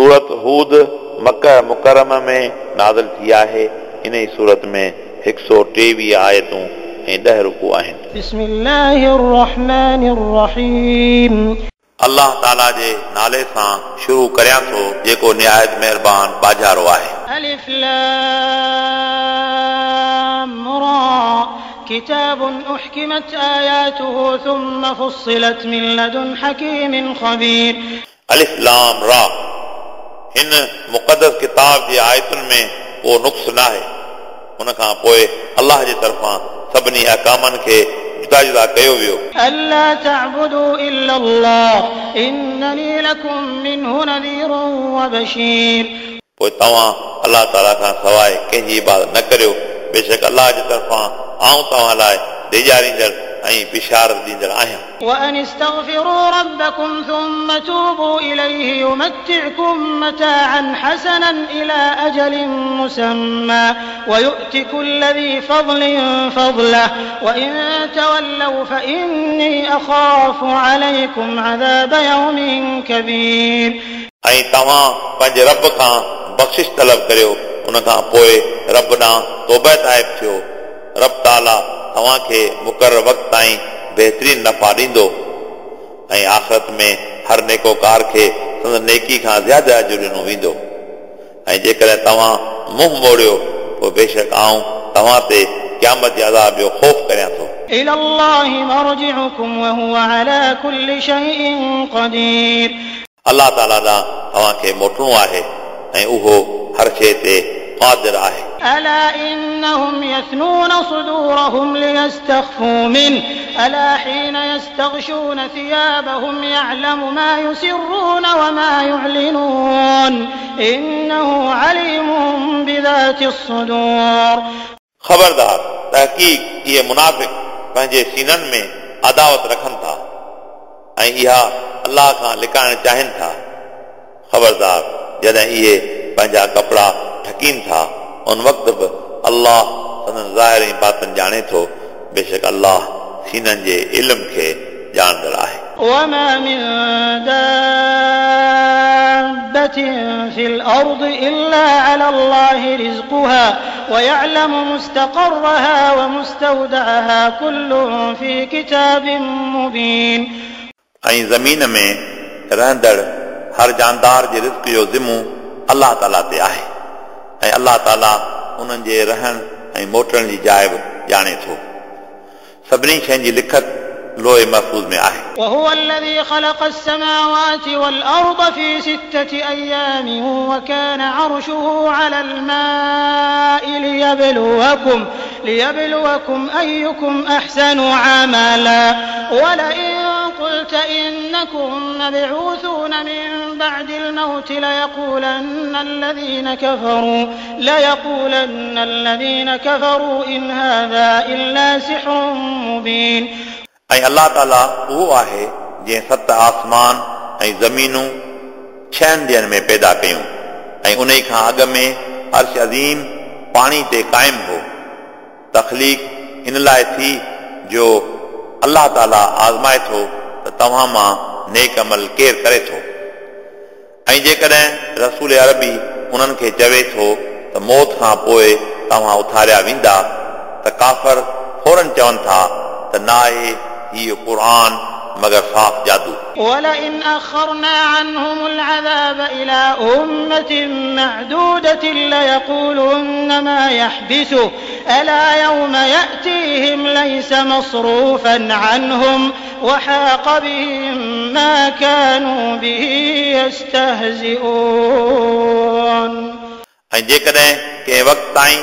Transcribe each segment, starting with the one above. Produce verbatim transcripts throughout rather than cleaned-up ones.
सूरत हूद मक्का मुकर्रमा में नाज़िल थी आहे। इन ई सूरत में हिकु सौ टेवीह आयतूं ऐं ॾह रुकू आहिनि। बिस्मिल्लाहिर रहमानिर रहीम। अल्लाह ताला जे नाले सां शुरू करियां थो जेको निहायत महिरबान बाजारो आहे। अलिफ लाम रा किताब उहकिमत आयातुहु थुम्मा फुस्सिलत मिन लदुन हकीमिन खबीर। अलिफ लाम रा हिन मुक़द्दस किताब जे आयतुनि में को नुक़्स न आहे। उन खां पोइ अल्लाह जे तरफ़ां सभिनी अहकामनि खे जुदा जुदा कयो वियो। अल्ला तअबुदू इल्लल्लाह इन्ननी लकुम मिन्हु नज़ीरुन व बशीर। पोइ तव्हां अल्लाह ताला खां सवाइ कंहिंजी इबादत न करियो, बेशक अल्लाह जे तरफ़ां आउं तव्हां लाइ ॾेजारींदड़ ऐं बिशारत ॾींदड़ आहियां। वअन इस्तग़फिरू रब्बकुम थुम्मा तूबू इलैहि युमत्तिअकुम मताअन हसनन इला अजलिन मुसम्मा वयुअति कुल्ल ज़ी फ़ज़लिन फ़ज़लह वइन तवल्लौ फ़इन्नी अख़ाफ़ु अलैकुम अज़ाब यौमिन कबीर। ऐं तव्हां पंहिंजे रब खां बख़्शिश तलब करियो, उन खां पोइ रब ॾांहुं तौबा ताइब थियो। रब ताला तव्हांखे मुक़ररु वक़्त ताईं बहितरीन नफ़ा ॾींदो ऐं आख़िरत में हर नेकोकार खे संदसि नेकी खां ज़्यादा अजु ॾिनो वेंदो। ऐं जेकॾहिं तव्हां मुंहुं मोड़ियो पोइ बेशक आउं तव्हां ते क़यामत जे अज़ाब जो ख़ौफ़ करियां थो। इलल्लाहि मरजिउकुम व हुवा अला कुल्लि शैइन क़दीर। अल्लाह ताला ॾांहुं तव्हांखे मोटणो आहे ऐं उहो हर शइ ते क़ादिर आहे। अला इन्नहुम यस्नून सुदूरहुम लियस्तख़फू मिन्हु अला हीन यस्तग़शून थियाबहुम यअलमु मा युसिर्रून व मा युअलिनून इन्नहु अलीमुम बिज़ातिस सुदूर। ख़बरदार, तहक़ीक़ इहे मुनाफ़िक़ पंहिंजे सीननि में अदावत रखनि था ऐं इहा अल्लाह खां लिकाइण चाहिनि था। ख़बरदार, जॾहिं इहे पंहिंजा कपिड़ा ढकीनि था उन वक़्त बि अल्लाह संदन ज़ाहिर ऐं बातिन ॼाणे थो। बेशक अल्लाह सीननि जे इल्म खे ॼाणंदड़ आहे। वमा मिन दाब्बतिन फिल अर्दि इल्ला अला अल्लाहि रिज़्क़ुहा वयअलमु मुस्तक़र्रहा वमुस्तौदअहा कुल्लुन फ़ी किताबिन मुबीन। ऐं ज़मीन में रहंदड़ हर जानदार जे रिज़्क़ जो ज़िमो अल्लाह ताला ते आहे ऐं अल्लाह ताला उन्हनि जे रहण ऐं मोटण जी जाइ बि ॼाणे थो। सभिनी शयुनि जी लिखत लोहे महफ़ूज़ में आहे। वहुव अल्लज़ी ख़लक़ अस्समावाति वल-अर्द फ़ी सित्तति अय्यामिन वकान अरशुहु अलल माइ लियबलुवकुम लियबलुवकुम अय्युकुम अहसनु अमला वलइन क़ुल्त इन्नकुम मबऊसून मिन बअदिल मौति लयक़ूलन्न अल्लज़ीन कफ़रू लयक़ूलन्न अल्लज़ीन कफ़रू इन हाज़ा इल्ला सिहरुन मुबीन। ऐं अल्लाह ताला उहो आहे जंहिं सत आसमान ऐं ज़मीनूं छहनि ॾींहनि में पैदा कयूं ऐं उन खां अॻु में अर्श अज़ीम पाणी ते क़ाइमु हो। तख़लीक़ इन लाइ थी जो अल्लाह ताला आज़माए थो त तव्हां मां नेक अमल केरु करे थो। ऐं जेकॾहिं रसूल अरबी उन्हनि खे चवे थो त मौत खां पोइ तव्हां उथारिया वेंदा त काफ़र फ़ौरन चवनि था त न आहे हीउ क़ुर मगर साफ़ जादू। वलइन अख़रना अन्हुमुल अज़ाब इला उम्मतिन मअदूदतिन लयक़ूलुन्न मा यहबिसुहु अला यौम यअतीहिम लैसा मसरूफ़न अन्हुम वहाक़ बिहिम मा कानू बिही यस्तहज़िऊन। ऐं जेकॾहिं कंहिं वक़्त ताईं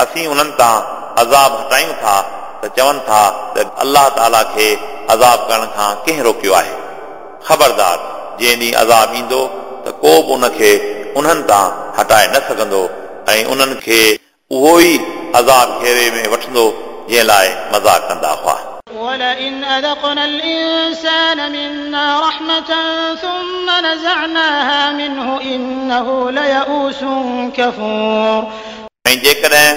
असीं उन्हनि तां अज़ाब हटायूं था त चवनि था त अल्लाह ताला खे अज़ाब करण खां कंहिं रोकियो आहे। ख़बरदार, जंहिं ॾींहुं अज़ाब ईंदो त को बि उनखे उन्हनि तां हटाए न सघंदो ऐं उन्हनि खे उहो ई अज़ाब घेरे में वठंदो जंहिं लाइ मज़ाक कंदा हुआ। वलइन अज़क़ना अल-इंसान मिन्ना रहमतन थुम्मा नज़अनाहा मिन्हु इन्नहु लयऊसुन कफ़ूर। ऐं जेकॾहिं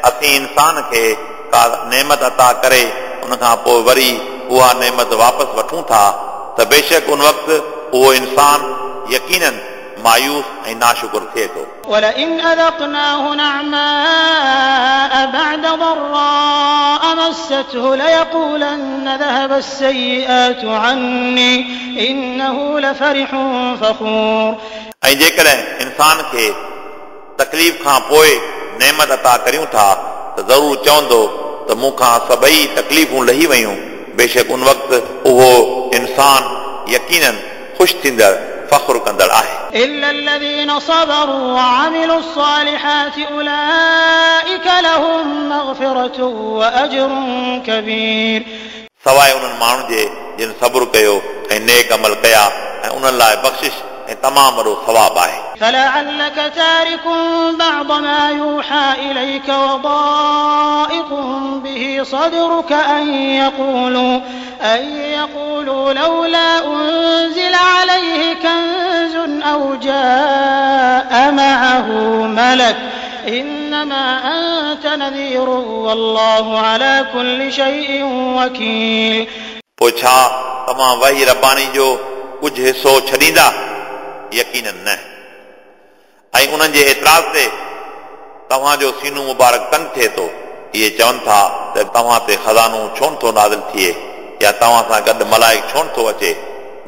असीं इंसान खे का नेमत अता करे उन खां पोइ वरी उहा नेमत वापसि वठूं था त बेशक उन वक़्तु उहो इंसान यकीनन मायूस ऐं नाशुकुर थिए थो। ولئن أذقناه نعماء بعد ضراء مسته ليقولن ذهب السيئات عني إنه لفرح فخور। ऐं जेकॾहिं इंसान खे तकलीफ़ खां पोइ नेमत अता करियूं था त ज़रूरु चवंदो त मूंखां सभई तकलीफ़ूं लही वयूं। बेशक उन वक़्तु उहो इंसान यकीनन ख़ुशि थींदड़ फ़ख़्रु कंदड़ आहे। إلا الذين صبروا وعملوا الصالحات أولئك لهم مغفرة وأجر كبير। सवाइ उन्हनि माण्हुनि जे जिन सब्र कयो ऐं नेक अमल कया ऐं उन्हनि लाइ बख़्शिश ऐं तमामु वॾो सवाबु आहे। فلعلك تارك بعض ما يوحى إليك وضائق به صدرك أن يقولوا أن يقولوا لولا أنزل عليه كنز أو جاء معه ملك إنما أنت نذير والله على كل شيء وكيل। पोइ छा तव्हां वही रबानी जो कुझु हिसो छॾींदा? यकीनन न। ऐं उन्हनि जे एतिराज़ ते तव्हांजो सीनो मुबारक तंग थिए थो। इहे चवनि था त तव्हां ते ख़ज़ानो छो नथो नाज़िल थिए या तव्हां सां गॾु मलाइक छो नथो अचे?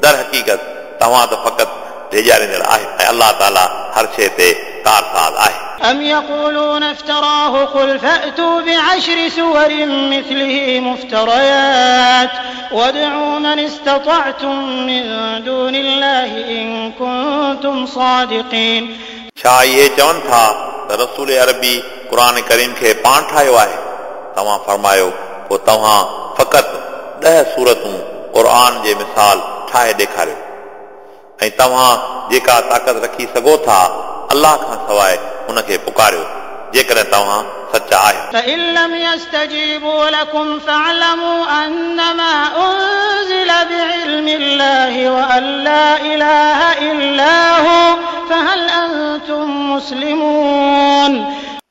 दर हक़ीक़त तव्हां त फ़क़ति ड्रेॼारींदड़ आहियो ऐं अलाह ताला हर शइ ते कारसाज़ आहे। أم يقولون افتراه قل فأتوا بعشر سور مثله مفتريات وادعوا من استطعتم من دون الله إن كنتم صادقين। छा इहे चवनि था त रसूल अरबी क़ुर करीम खे पाण ठाहियो आहे? तव्हां फरमायो पोइ तव्हां फ़क़ति ॾह सूरतूं क़ुर जे मिसाल ठाहे ॾेखारियो ऐं तव्हां जेका ताक़त रखी सघो था अलाह खां सवाइ उनखे पुकारियो जेकॾहिं तव्हां सचा आहियो। فإن لم يستجيبوا لكم فاعلموا أنما أنزل بعلم الله وأن لا إله إلا هو فهل أنتم مسلمون।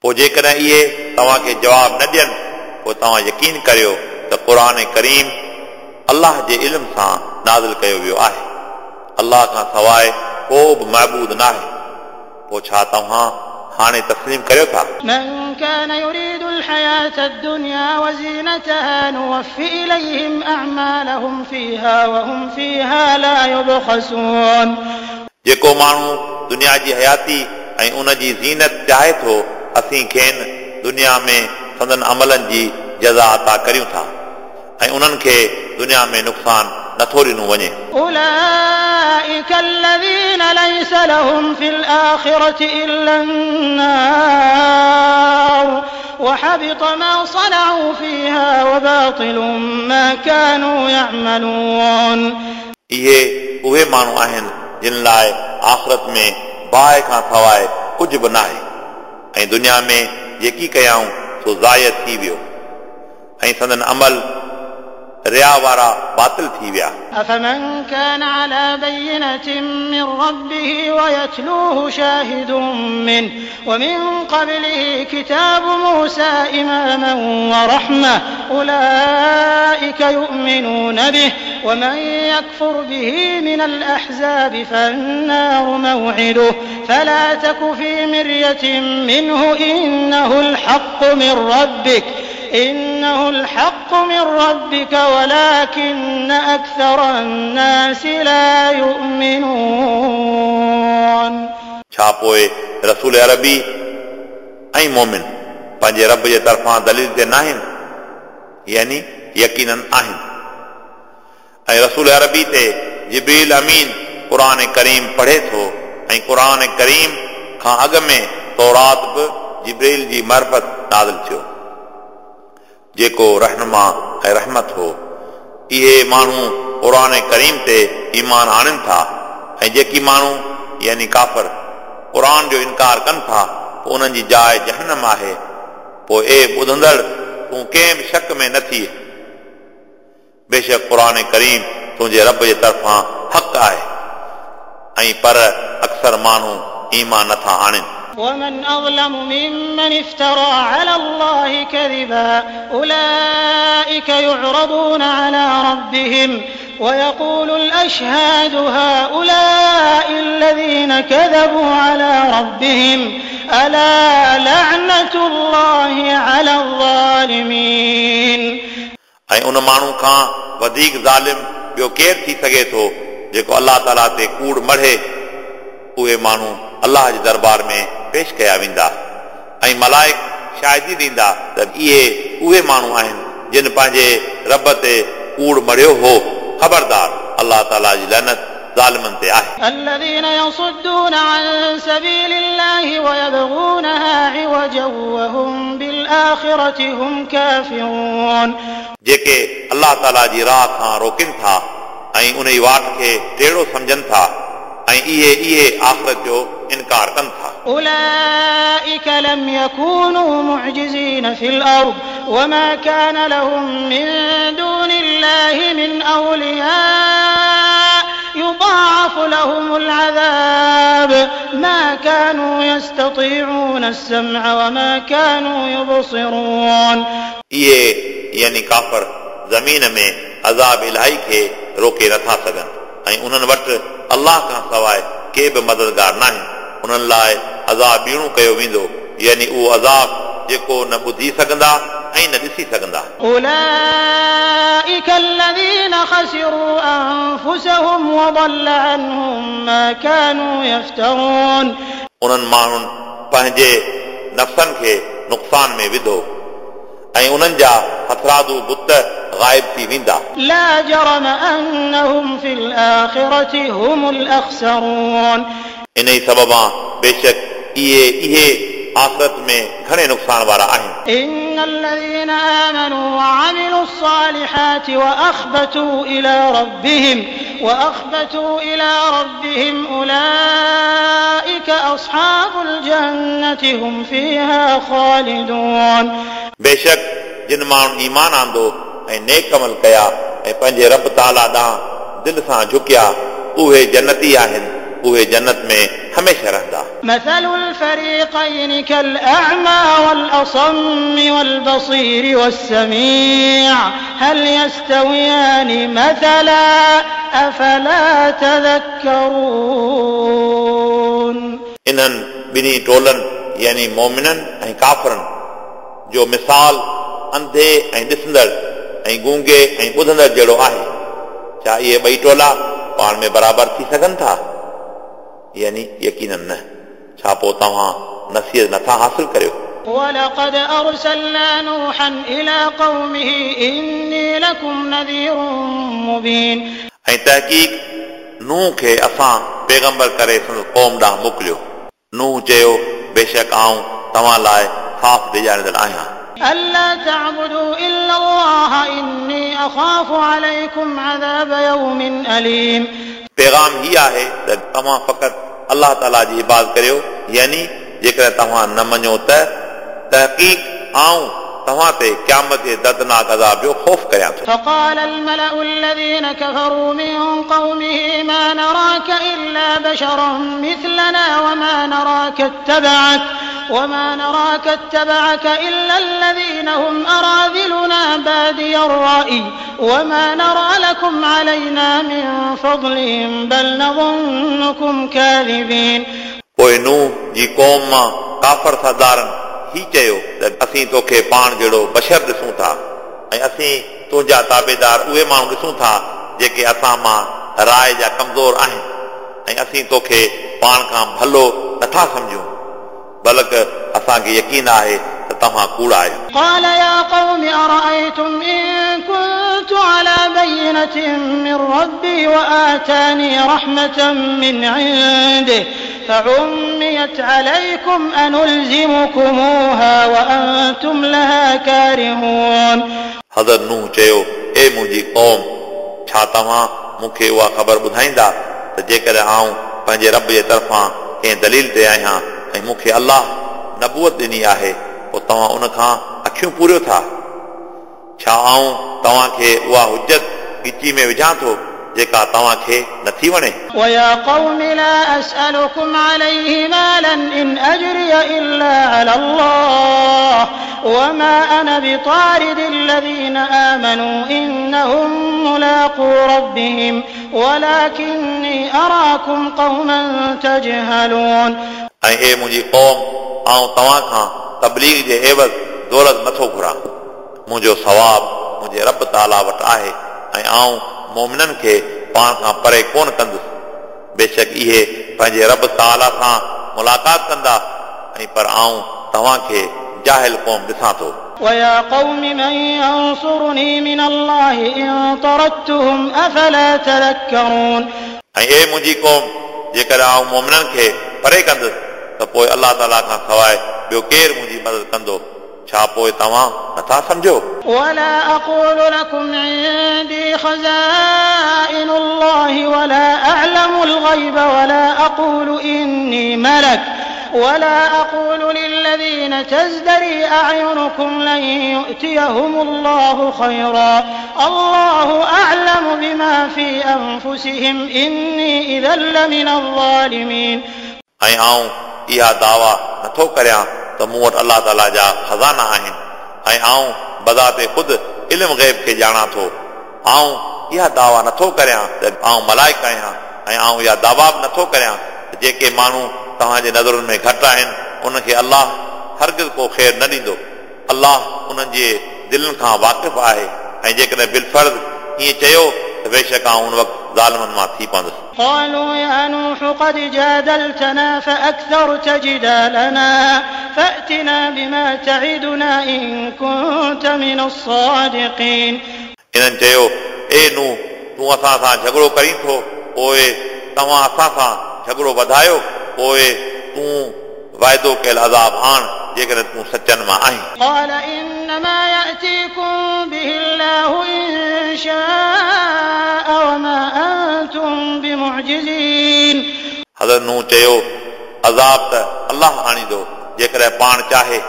पोइ जेकॾहिं इहे तव्हांखे जवाब न ॾियनि पोइ तव्हां यकीन करियो त क़ुर करीम अलाह जे इल्म सां नाज़िल कयो वियो आहे। अलाह खां सवाइ को बि महबूद न आहे। पोइ छा तव्हां हाणे तस्लीम करियो था? من كان يريد الحياة الدنيا وزينتها نوف إليهم أعمالهم فيها وهم فيها لا يبخسون। जेको माण्हू दुनिया जी हयाती ऐं उन जी ज़ीनत चाहे थो असीं खेनि दुनिया में संदन अमलनि जी जज़ा अता करियूं था ऐं उन्हनि खे दुनिया में नुक़सानु नथो ॾिनो वञे। أولئك الذين ليس لهم في الآخرة إلا النار وحبط ما صنعوا فيها وباطل ما كانوا يعملون। इहे उहे माण्हू आहिनि जिन लाइ आख़िरत में बाहि खां सवाइ कुझु बि न आहे ऐं दुनिया में जेकी कयाऊं सो ज़ाय थी वियो ऐं संदन अमल रिया वारा बातिल थी विया। أفمن كان على بينة من ربه ويتلوه شاهد منه ومن قبله كتاب موسى إماما ورحمة أولئك يؤمنون به ومن يكفر به من الأحزاب فالنار موعده فلا تك في مرية منه إنه الحق من ربك إنه الحق من ربك ولكن أكثر الناس لا يؤمنون। छा पोइ रसूल अरबी ऐं मोमिन पंहिंजे रब जे तरफ़ां दलील ते नाहिनि? यानी यकीनन आहिनि। ऐं रसूल अरबी ते जिब्रील अमीन क़ुर करीम पढ़े थो ऐं क़ुर करीम खां अॻु में तौरात बि जिब्रील जी मार्फ़त नाज़िल थियो जेको रहनुमा ऐं रहमत हो। इहे माण्हू क़ुर करीम ते ईमान आणनि था ऐं जेकी माण्हू यानी काफ़र क़ुर जो इनकार कनि था पोइ उन्हनि जी जाइ जहनम आहे। पोइ ए ॿुधंदड़ तूं कंहिं बि शक में न थी। बेशक क़ुर करीम तुंहिंजे रब जे तरफ़ां हक़ आहे ऐं पर अक्सर माण्हू ईमान नथा आणनि। ومن أظلم ممن افترى على الله كذبا أولئك يعرضون على ربهم ويقول الأشهاد هؤلاء الذين كذبوا على ربهم ألا لعنة الله على الظالمين. ऐं उन माण्हू खां वधीक ज़ालिम ॿियो केरु थी सघे थो जेको अलाह ताला ते कूड़ मढ़े। उहे माण्हू अलाह जे दरबार में पेश कया वेंदा ऐं मलाइक शाहिदी ॾींदा त इहे उहे माण्हू आहिनि जिन पंहिंजे रब ते कूड़ मढ़ियो हो। ख़बरदार, अलाह ताला जी लानत ज़ालिमनि ते आहे। الذين يصدون عن سبيل الله ويبغونها عوجا وهم بالآخرة هم كافرون. जेके अलाह ताला जी राह खां रोकनि था ऐं उन ई वाट खे टेढ़ो सम्झनि था ऐं इहे इहे आख़िरत जो इनकार कनि था। أولئك لم يكونوا معجزين في الأرض وما كان لهم من دون الله من أولياء يضاعف لهم العذاب ما كانوا يستطيعون السمع وما كانوا يبصرون. इहे यानी काफ़र ज़मीन में अज़ाब इलाही खे रोके नथा सघनि ऐं उन्हनि वटि अलाह खां सवाइ के बि मददगार न आहिनि। उन्हनि लाइ अज़ाब ॿीणो कयो वेंदो, यानी उहो अज़ाब जेको न ॿुधी सघंदा ऐं न ॾिसी सघंदा। أولئك الذين خسروا أنفسهم وضل عنهم ما كانوا يفترون. उन्हनि माण्हुनि पंहिंजे नफ़्सनि खे नुक़सान में विधो ऐं उन्हनि जा हथरादू बुत ग़ाइब थी वेंदा। لا جرم أنهم في الآخرة هم الأخسرون. इन ई सबबा बेशक इहे इहे आख़िरत में घणे नुक़सान वारा आहिनि। إن الذين آمنوا وعملوا الصالحات وأخبتوا إلى ربهم وأخبتوا إلى ربهم أولئك أصحاب الجنة هم فيها خالدون. बेशक जिन माण्हुनि ईमान आंदो ऐं नेक अमल कया ऐं पंहिंजे रब ताला ॾांहुं दिलि सां झुकिया उहे जन्नती आहिनि, उहे जन्नत में हमेशह रहंदा। مثل الفريقين كالأعمى والأصم والبصير والسميع هل يستويان مثلا أفلا تذكرون. इन्हनि ॿिन्ही टोलनि यानी मोमिननि ऐं काफ़रनि जो मिसाल अंधे ऐं ॾिसंदड़ ऐं गूंगे ऐं ॿुधंदड़ जहिड़ो आहे। छा इहे ॿई टोला पाण में बराबरि थी सघनि था? यानी यकीनन न। छा पोइ तव्हां नसीहत नथा हासिल करियो? ولقد أرسلنا نوحا إلى قومه إني لكم نذير مبين. ऐं तहक़ीक़ नूह खे असां पैगंबर करे संदसि क़ौम ॾांहुं मोकिलियो। नूह चयो, बेशक आउं तव्हां लाइ साफ़ ॾिजारींदड़ आहियां। ألا تعبدوا إلا الله إني أخاف عليكم عذاب يوم أليم. पैगाम ही आहे त तव्हां फ़क़ति अलाह ताला जी इबादत करियो, यानी जेकॾहिं तव्हां न मञो त तहक़ीक़ आउं तव्हां ते क़यामत जे दर्दनाक अज़ाब जो ख़ौफ़ करियां थो। فقال الملأ الذين كفروا من قومه ما نراك إلا بشرا مثلنا وما نراك اتبعك وما نراك اتبعك إلا الذين هم أراذلنا بادي الرأي وما نرى لكم علينا من فضل بل نظنكم كاذبين. पोइ नूह जी क़ौम मां काफ़र सरदारनि ही चयो त असीं तोखे पाण जहिड़ो बशर ॾिसूं था ऐं असीं तुंहिंजा ताबेदार उहे माण्हू ॾिसूं था जेके असां मां राय जा कमज़ोर आहिनि ऐं असीं तोखे पाण खां भलो नथा सम्झूं, बल्कि असांखे यकीन आहे त तव्हां कूड़ा आहियो। قال يا قوم أرأيتم إن كنت على بينة من ربي وآتاني رحمة من عنده فعميت عليكم أنلزمكموها وأنتم لها كارهون. हज़रत नूह चयो, ए मुंहिंजी क़ौम, छा तव्हां मूंखे उहा ख़बर ॿुधाईंदा त जेकॾहिं आउं पंहिंजे रब जे तरफ़ां कंहिं दलील ते आहियां ऐं मूंखे अलाह नबूअत ॾिनी आहे, पोइ तव्हां उन खां अखियूं पूरियो था? छा आउं तव्हांखे उहा हुजत ॻिची में विझां थो जेका तव्हांखे नथी वणे? ويا قوم لا أسألكم عليه مالا إن أجري إلا على الله وما أنا بطارد الذين آمنوا إنهم ملاقو ربهم ولكني أراكم قوما تجهلون. ऐं हे मुंहिंजी क़ौम, आउं तव्हां खां तबलीग जे एवज़ दौलत नथो घुरां। मुंहिंजो सवाब मुंहिंजे रब ताला वटि आहे ऐं आउं मोमिननि खे पाण खां परे कोन कंदुसि। बेशक इहे पंहिंजे रब ताला सां मुलाक़ात कंदा ऐं पर आउं तव्हांखे जाहिल क़ौम ॾिसां थो। ويا قوم من ينصرني من الله إن طردتهم أفلا تذكرون. ऐं हे मुंहिंजी क़ौम, जेकॾहिं आउं मोमिननि खे परे कंदुसि त पोइ अलाह ताला खां सवाइ ॿियो केरु मुंहिंजी मदद कंदो? छा पोइ तव्हां नथा सम्झो? ولا أقول لكم عندي خزائن الله ولا أعلم الغيب ولا أقول إني ملك ولا أقول للذين تزدري أعينكم لن يؤتيهم الله خيرا الله أعلم بما في أنفسهم إني إذا لمن الظالمين. ऐं आउं इहा दावा नथो करियां त मूं वटि अलाह ताला जा ख़ज़ाना आहिनि ऐं आउं बज़ाते ख़ुदि इल्म ग़ैब खे ॼाणां थो। आउं इहा दावा नथो करियां त आउं मलाइक आहियां ऐं आउं इहा दावा बि नथो करियां त जेके माण्हू तव्हांजे नज़रुनि में घटि आहिनि उनखे अलाह हरगिज़ को ख़ैर न ॾींदो। अलाह उन्हनि जे दिलनि खां वाक़िफ़ आहे ऐं जेकॾहिं बिलफ़र्ज़ ईअं चयो त बेशक आउं उन वक़्तु ज़ालिमनि मां थी पवंदुसि। قالوا يا نوح قد جادلتنا فأكثرت جدالنا فأتنا بما تعدنا إن كنت من الصادقين. इन्हनि चयो, ए नूह, तूं असां सां झगड़ो करीं थो, पोइ तव्हां असां सां झगड़ो वधायो, पोइ तूं वाइदो कयल अज़ाब आण जेकॾहिं तूं सचनि मां आहीं। قال إنما يأتيكم به الله إن شاء وما أنتم بمعجزين. हज़रत नूह चयो, अज़ाब त अलाह आणींदो जेकॾहिं पाण चाहे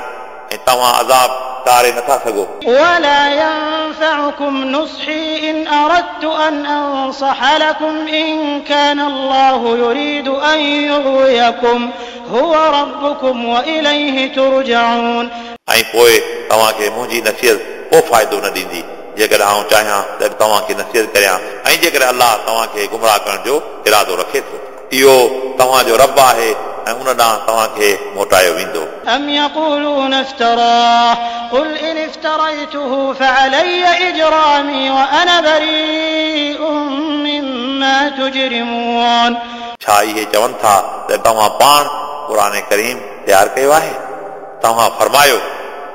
ऐं तव्हां अज़ाब टारे नथा सघो। ولا ينفعكم نصحي إن أردت أن أنصح لكم إن كان الله يريد أن يغويكم هو ربكم وإليه ترجعون. ऐं पोइ तव्हांखे मुंहिंजी नसीहत को फ़ाइदो न ॾींदी जेकॾहिं आउं चाहियां त तव्हांखे नसीहत करियां ऐं जेकॾहिं अलाह तव्हांखे गुमराह करण जो इरादो रखे थो। इहो तव्हांजो रब आहे ऐं उन ॾांहुं तव्हांखे मोटायो वेंदो। أم يقولون افتراه قل إن افتريته فعلي إجرامي وأنا بريء مما تجرمون. छा इहे चवनि था त तव्हां पाण क़ुर करीम तयारु कयो आहे? तव्हां फरमायो,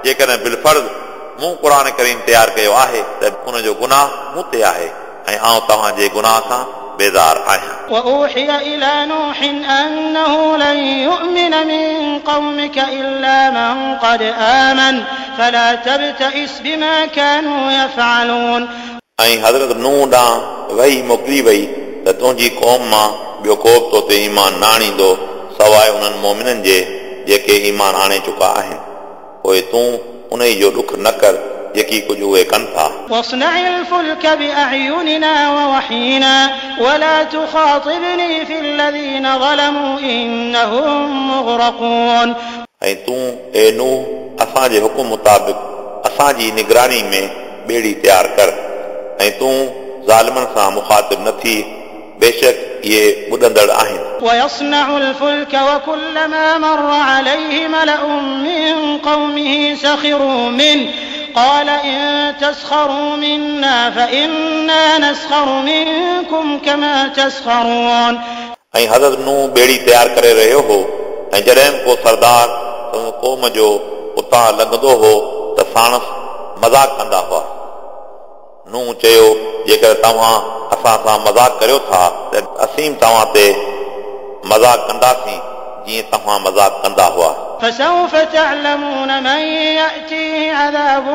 जेकॾहिं बिलफ़र्ज़ मूं क़ुर करीम तयारु कयो आहे त उनजो गुनाह मूं ते आहे ऐं आउं तव्हांजे गुनाह खां बेज़ार आहियां। وأوحي إلى نوح أنه لن يؤمن من قومك إلا من قد آمن فلا تبتئس بما كانوا يفعلون. ऐं हज़रत नूह ॾांहुं वही मोकिली वई त तुंहिंजी क़ौम मां ॿियो को बि तो ते ईमान न आणींदो सवाइ उन्हनि मोमिननि जे जेके ईमान आणे चुका आहिनि। पोइ तूं उन जो ॾुख न कर जेकी कुझु उहे कनि था। واصنع الفلك بأعيننا ووحينا ولا تخاطبني في الذين ظلموا إنهم مغرقون. ऐं तूं ए नूह असांजे हुकुम मुताबिक़ असांजी निगरानी में ॿेड़ी तयारु कर ऐं तूं ज़ालिमनि सां मुखातिब न थी, बेशक इहे ॿुधंदड़ आहिनि। ويصنع الفلك وكلما مر عليه ملأ من قومه سخروا منه قال إن تسخروا منا فإنا نسخر منكم كما تسخرون. ऐं हज़रत नूह ॿेड़ी तयारु करे रहियो हो ऐं जॾहिं को सरदार क़ौम जो उतां लंघंदो हो त साणसि मज़ाक कंदा हुआ। नूह चयो, जेकर तव्हां असां सां मज़ाक करियो था त असीं तव्हां ते मज़ाक कंदासीं जीअं तव्हां मज़ाक कंदा हुआ। فسوف تعلمون من يأتيه عذاب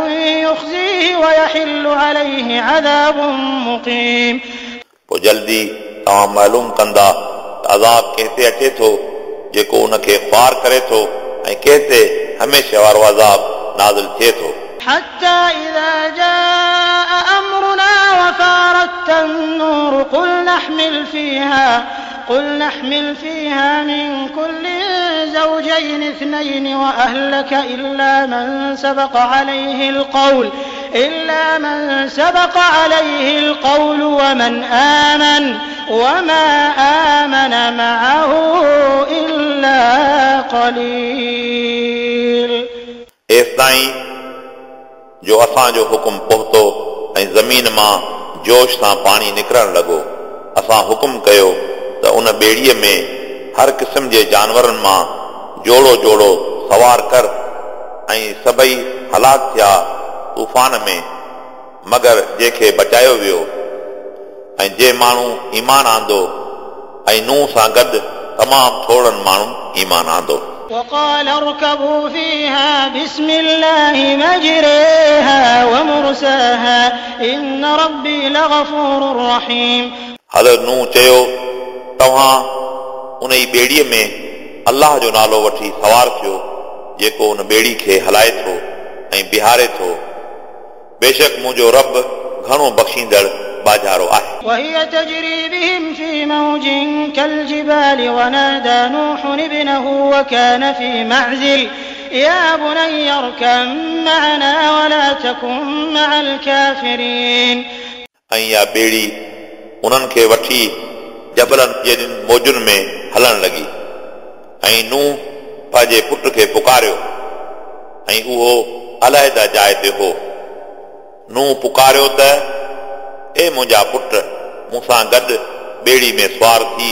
يخزيه ويحل عليه عذاب مقيم. पोइ जल्दी तव्हां मालूम कंदा त अज़ाब कंहिं ते अचे थो जेको उनखे ख़्वार करे थो ऐं कंहिं ते हमेशह वारो अज़ाब नाज़िल थिए थो। حتى إذا جاء أمرنا وفارت النور قل نحمل فيها قل نحمل فيها من كل زوجين زوجين اثنين وأهلك إلا من سبق عليه القول إلا من سبق عليه القول ومن آمن وما آمن معه إلا قليل. एसिताईं जो असांजो हुकुम पहुतो ऐं ज़मीन मां जोश सां पाणी निकिरणु लॻो। असां हुकुम कयो त उन ॿेड़ीअ में हर क़िस्म जे जानवरनि मां जोड़ो जोड़ो सवार कर ऐं सभई हलाक थिया तूफ़ान में, मगर जंहिंखे बचायो वियो ऐं जे माण्हू ईमान आंदो ऐं नूह सां गॾु तमामु थोरनि माण्हुनि ईमान आंदो। وقال اركبوا فيها بسم الله مجريها ومرساها إن ربي لغفور رحيم. हज़रत नूह चयो, तव्हां उन ई ॿेड़ीअ में अल्लाह जो नालो वठी सवार थियो जेको उन ॿेड़ी खे हलाए थो ऐं बीहारे थो। बेशक मुंहिंजो रब घणो बख़्शींदड़ बाजारो आहे। وهي تجري بهم في موج كالجبال ونادى نوح ابنه وكان في معزل يا بني اركب معنا ولا تكن مع الكافرين. ऐं इहा ॿेड़ी उन्हनि खे वठी जबलनि जेॾियुनि मौजुनि में हलणु लॻी ऐं नूह पंहिंजे पुट खे पुकारियो ऐं उहो अलाहिदा जाइ ते हो। नूह पुकारियो त ए मुंहिंजा पुट, मूंसां गॾु ॿेड़ी में सवार थी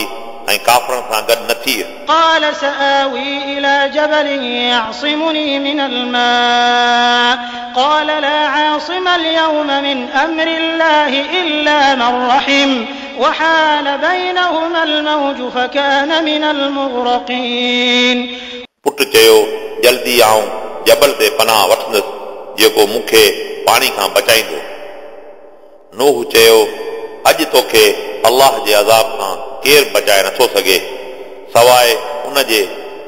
ऐं काफ़रनि सां गॾु न थी। قال سآوي إلى جبل يعصمني من الماء قال لا عاصم اليوم من أمر الله إلا من رحم وحال بينهما الموج فكان من المغرقين. पुट चयो, जल्दी आऊं जबल ते पनाह वठंदुसि जेको मूंखे पाणी खां बचाईंदो। नूह चयो, अॼु तोखे अल्लाह जे अज़ाब खां केरु बचाए नथो सघे सवाइ उन जे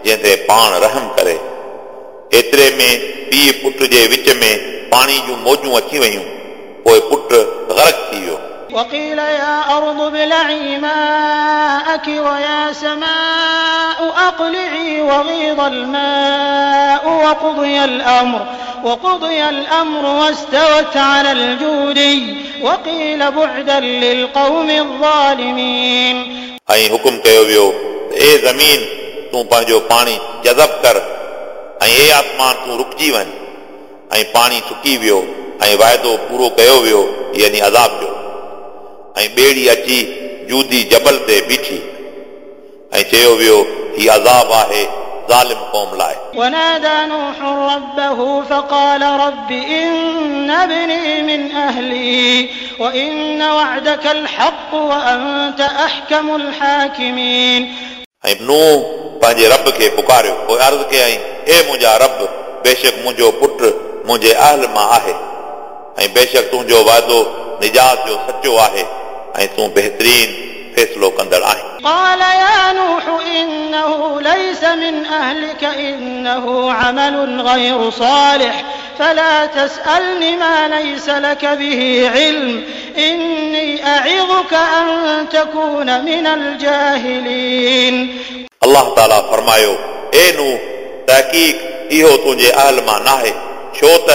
जंहिं ते पाण रहम करे। एतिरे में पीउ पुट जे विच में पाणी जूं मौजूं अची वयूं, पोइ पुट गर्क थी वियो। وقيل يا أرض ابلعي ماءك ويا سماء أقلعي وغيض الماء وقضي الأمر وقضي الأمر واستوت على الجودي وقيل بعدا للقوم الظالمين. ऐं हुकुम कयो वियो त ए ज़मीन, तूं पंहिंजो पाणी जज़ब कर ऐं ए आसमान, तूं रुकिजी वञ। ऐं पाणी सुकी वियो ऐं वाइदो पूरो कयो वियो, यानी अज़ाब जो। ऐं ॿेड़ी अची जूदी जबल ते बीठी ऐं चयो वियो, हीउ अज़ाब आहे ज़ालिम क़ौम लाइ। ونادى نوح ربه فقال رب إن ابني من أهلي وإن وعدك الحق وأنت أحكم الحاكمين. ऐं नूह पंहिंजे रब खे पुकारियो, पोइ अर्ज़ कयईं, ए मुंहिंजा रब, बेशक मुंहिंजो पुट मुंहिंजे अहल मां आहे ऐं बेशक तुंहिंजो वाइदो निजात जो सचो आहे ऐं तूं बहितरीन फ़ैसिलो कंदड़ आहीं। قال يا نوح إنه ليس من أهلك إنه عمل غير صالح فلا تسألني ما ليس لك به علم إني أعظك أن تكون من الجاهلين. अल्लाह ताला फरमायो, ए नूह, तहक़ीक़ इहो तुंहिंजे अहल मां नाहे, छो त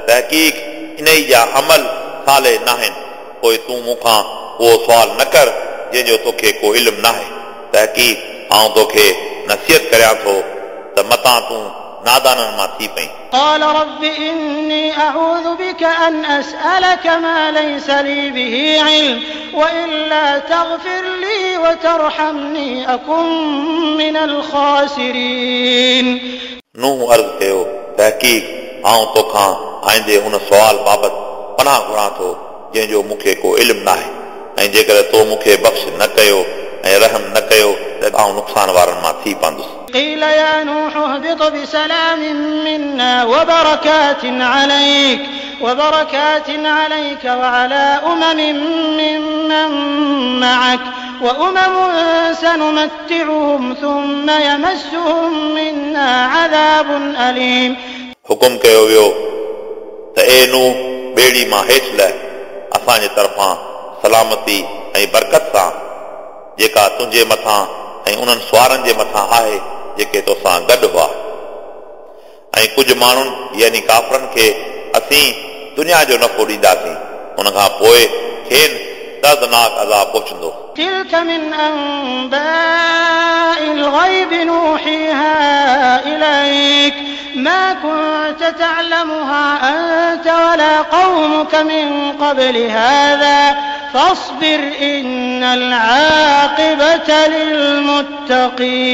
तहक़ीक़ इन जा अमल साले नाहिनि। पोइ तूं मूंखां उहो सुवाल न कर जंहिंजो तोखे को इल्मु नाहे। तहक़ीक़ आउं तोखे नसीहत करियां थो त मतां तूं नादाननि मां थी पई। قال رب إني أعوذ بك أن أسألك ما ليس لي به علم وإلا تغفر لي وترحمني أكن من الخاسرين. नूह अर्ज़ कयो, तहक़ीक़ आउं तोखां आईंदे उन सुवाल बाबति पनाह घुरां थो जंहिंजो मूंखे को इल्मु नाहे, ऐं जेकॾहिं तो मूंखे बख़्श न कयो ऐं रहम न कयो त आउं नुक़सान वारनि मां थी पवंदुसि। قيل يا نوح اهبط بسلام منا وبركات عليك وبركات عليك وعلى أمم ممن معك وأمم سنمتعهم ثم يمسهم منا عذاب أليم. हुकुम कयो वियो त ए नूह, ॿेड़ी मां हेठि लह, असांजे तरफ़ां सलामती ऐं बरकत सां जेका तुंहिंजे मथां ऐं उन्हनि सुवारनि जे मथां आहे जेके तोसां गॾु हुआ। ऐं कुझु माण्हुनि यानी काफ़रनि खे असीं दुनिया जो नफ़ो ॾींदासीं, उन खां पोइ खेनि दर्दनाक अज़ाब पहुचंदो। تلك من أنباء الغيب نوحيها إليك ما كنت تعلمها أنت ولا قومك من قبل هذا فاصبر إن العاقبة للمتقين।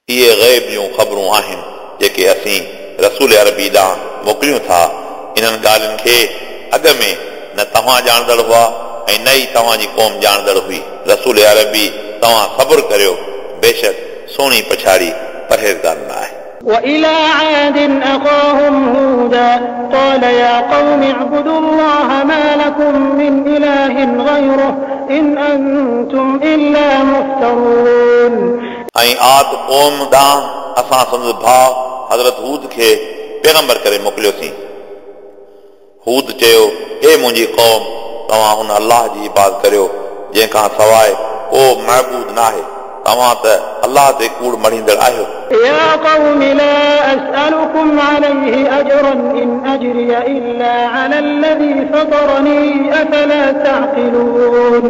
इहे ग़ैब जूं ख़बरूं आहिनि जेके असीं रसूल अरबी ॾांहुं मोकिलियूं था। इन्हनि ॻाल्हियुनि खे अॻ में न तव्हां ॼाणंदड़ हुआ ऐं न ई तव्हांजी क़ौम ॼाणंदड़ हुई। रसूल अरबी तव्हां सब्र करियो, बेशक सुहिणी पछाड़ी परहेज़गारनि लाइ आहे। وإلى عاد أخاهم هودا قال يا قوم اعبدوا الله ما لكم من إله غيره إن أنتم إلا مفترون। ऐं आद क़ौम ॾांहुं असां संदसि भाउ हज़रत हूद खे पैगंबर करे मोकिलियोसीं। हूद चयो, हे मुंहिंजी क़ौम, तव्हां उन अल्लाह जी इबादत करियो जंहिंखां सवाइ को महबूद न आहे। तव्हां त अल्लाह ते कूड़ मढ़ींदड़ आहियो। يا قوم لا أسألكم عليه أجرا إن أجري إلا على الذي فطرني أفلا تعقلون।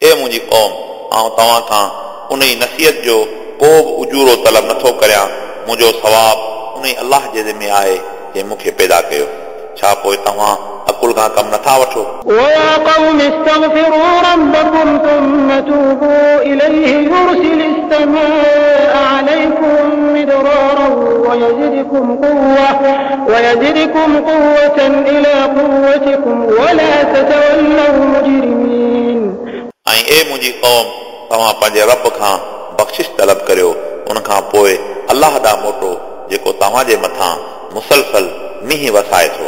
हे मुंहिंजी क़ौम, आउं तव्हां खां उन ई नसीहत जो को बि उजूरो तलब नथो करियां। मुंहिंजो सवाब उन ई अल्लाह जे ज़िमे आहे जंहिं मूंखे पैदा कयो। छा पोइ तव्हां अकुल खां कमु नथा वठो? ويا قوم استغفروا ربكم ثم توبوا إليه يرسل السماء عليكم مدرارا ويزدكم قوة ويزدكم قوة إلى قوتكم ولا تتولوا مجرمين। ऐं ए मुंहिंजी क़ौम, तव्हां पंहिंजे रब खां बख़्शिश तलब करियो, उन खां पोइ अल्लाह ॾांहुं मोटो जेको तव्हांजे मथां मुसलसल मींहुं वसाए थो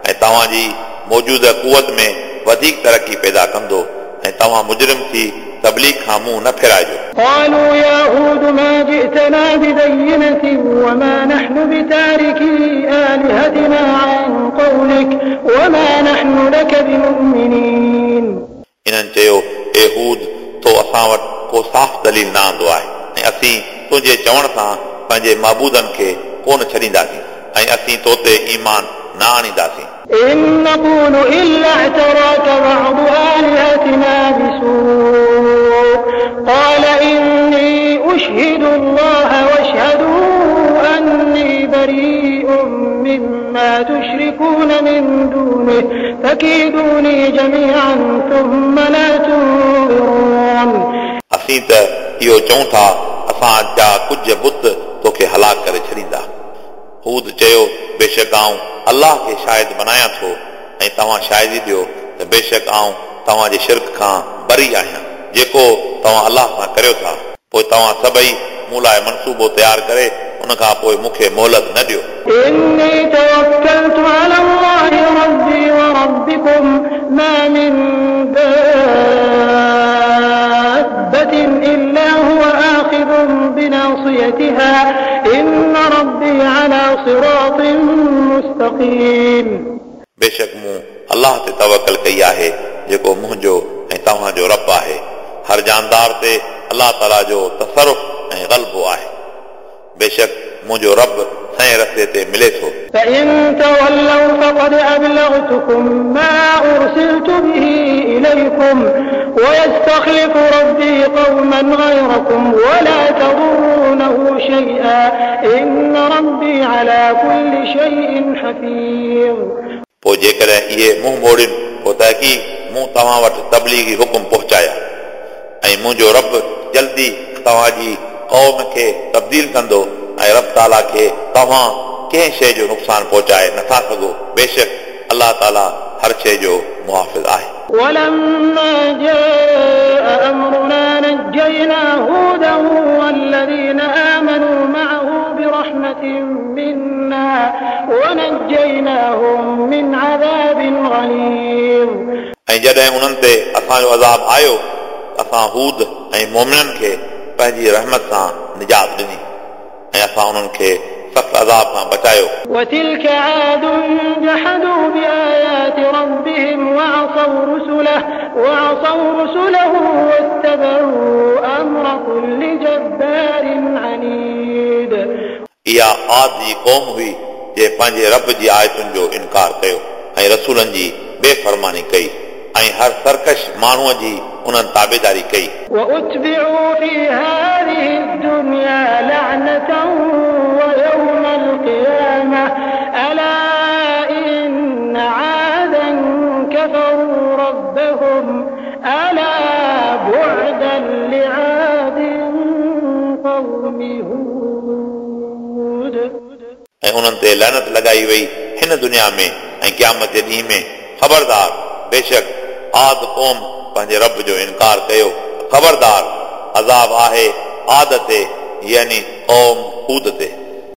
ऐं तव्हांजी मौजूदा कुवत में वधीक तरक़ी पैदा कंदो ऐं तव्हां मुजरिम थी तबलीग खां मुंहुं न फेराइजो। قالوا يا هود ما جئتنا ببينة وما نحن بتاركي آلهتنا عن قولك وما نحن لك بمؤمنين। इन्हनि चयो, ए हूद, तो असां वटि को साफ़ दलील न आंदो आहे ऐं असीं तुंहिंजे चवण सां पंहिंजे महबूदनि खे कोन छॾींदासीं ऐं असीं तो ते ईमान न आणींदासीं। إن نقول إلا اعتراك بعض آلهتنا بسوء قال إني أشهد الله واشهدوا أني بريء مما تشركون من دونه فكيدوني جميعا ثم لا تنظرون। असीं त इहो चऊं था, असां जा कुझु बुत तोखे हलाक करे छॾींदा। हूद चयो, बेशक आउं अल्लाह खे शाहिद बनायां थो ऐं तव्हां शाहिदी ॾियो त बेशक आउं तव्हांजे शिरक खां बरी आहियां जेको तव्हां अल्लाह सां करियो था। पोइ तव्हां सभई मूं लाइ मनसूबो तयारु करे उन खां पोइ मूंखे मोहलत न ॾियो। إني توكلت على الله ربي وربكم ما من دابة إلا هو آخذ بناصيتها إن ربي على صراط مستقيم। बेशक मूं अल्लाह ते तवकल कई आहे जेको मुंहिंजो ऐं तव्हांजो रब आहे। हर जानदार ते अल्लाह ताला जो तसरुफ ऐं ग़लबो आहे। बेशक मुंहिंजो रब सही रस्ते ते मिले थो। فإن تولوا فقد أبلغتكم ما أرسلت به إليكم ويستخلف ربي قوما غيركم ولا تضرونه شيئا إن ربي على كل شيء حفيظ। पोइ जेकॾहिं इहे मुंहुं मोड़नि पोइ तहक़ीक़ मूं तव्हां वटि तबलीगी हुकुम पहुचाया ऐं मुंहिंजो रब जल्दी तव्हांजी क़ौम खे तब्दील कंदो ऐं रब ताला खे तव्हां कंहिं शइ जो नुक़सानु पहुचाए नथा सघो। बेशक अल्लाह ताला हर शइ जो मुहाफ़िज़ आहे। ولما جاء أمرنا نجينا هودا والذين آمنوا معه برحمة منا ونجيناهم من عذاب غليظ। ऐं जॾहिं उन्हनि ते असांजो अज़ाब आयो, असां हूद ऐं मोमिननि खे पंहिंजी रहमत सां निजात ॾिनी ऐं असां उन्हनि खे सख़्त अज़ाब खां बचायो। وتلك عاد جحدوا بآيات ربهم وعصوا رسله وعصوا رسله واتبعوا أمر كل جبار عنيد। इहा आद जी क़ौम हुई जंहिं पंहिंजे रब जी आयतुनि जो इनकार कयो ऐं रसूलनि जी बेफरमानी कई ऐं हर सरकश माण्हूअ जी उन्हनि ताबेदारी कई। وأتبعوا في هذه الدنيا لعنة ويوم القيامة ألا إن عادا كفروا ربهم ألا بعدا لعاد قوم هود। ऐं उन्हनि ते लानत लॻाई वई हिन दुनिया में ऐं क़यामत जे ॾींहं में। ख़बरदार, बेशक आद क़ौम पंहिंजे रब जो इनकार कयो। ख़बरदार, अज़ाब आहे आद ते, यानी क़ौम हूद ते।